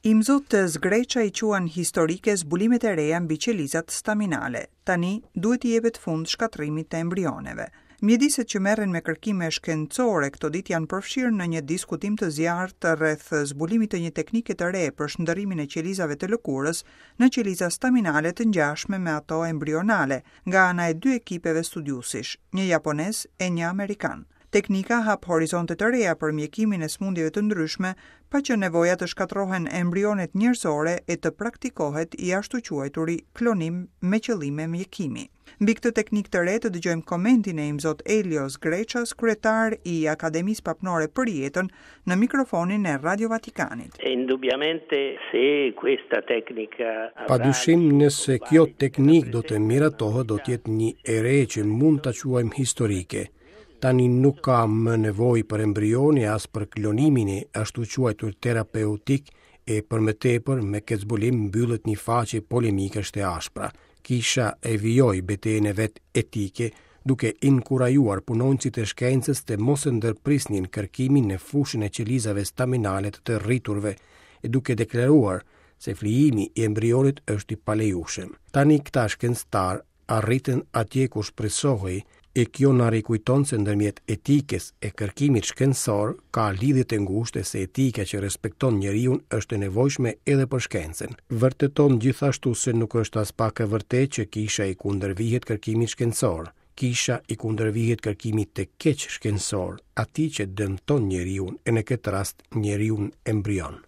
Imzot Sgreccia i quan historike zbulimet e reja mbi qelizat staminale. Tani duhet t'i jepet fund shkatërrimit të embrioneve. Mjediset që merren me kërkime shkencore këto ditë janë përfshirë në një diskutim të zjarrtë rreth zbulimit të një teknike të re për shndërrimin e qelizave të lëkurës në qeliza staminale të ngjashme me ato embrionale, nga ana e dy ekipeve studiuesish, një japonez e një amerikan. Teknika hap horizonte të reja për mjekimin e sëmundjeve të ndryshme, pa qenë nevoja të shkatërrohen embrionet njerëzore e të praktikohet i ashtuquajturi klonim me qëllime mjekimi. Mbi këtë teknikë të re të dëgjojmë komentin e Imzot Elio Sgreccias, kryetar i Akademisë Papnore për Jetën, në mikrofonin e Radio Vatikanit. Indubbiamente se questa tecnica Padyshim nëse kjo teknikë do të miratohet do të jetë një e re që mund ta quajmë historike. Tani nuk ka më nevojë për embrione as për klonimin e ashtuquajtur terapeutik e për më tepër me këtë zbulim mbyllet një faqe polemikash të ashpra. Kisha e vijoi betejën e vet etike duke inkurajuar punonjësit e shkencës të mos e ndërprisnin kërkimin në fushën e qelizave staminale të të rriturve e duke deklaruar se flijimi i embrionit është i palejueshëm. Tani këta shkencëtarë arritën atje ku shpresohej, e kjo na rikujton se ndërmjet etikës e kërkimit shkencor ka lidhje të ngushtë e se etika që respekton njeriun është e nevojshme edhe për shkencën. Vërteton gjithashtu se nuk është aspak e vërtetë që kisha i kundërvihet kërkimit shkencor. Kisha i kundërvihet kërkimit të keq shkencor, atij që dëmton njeriun e në këtë rast njeriun embrion.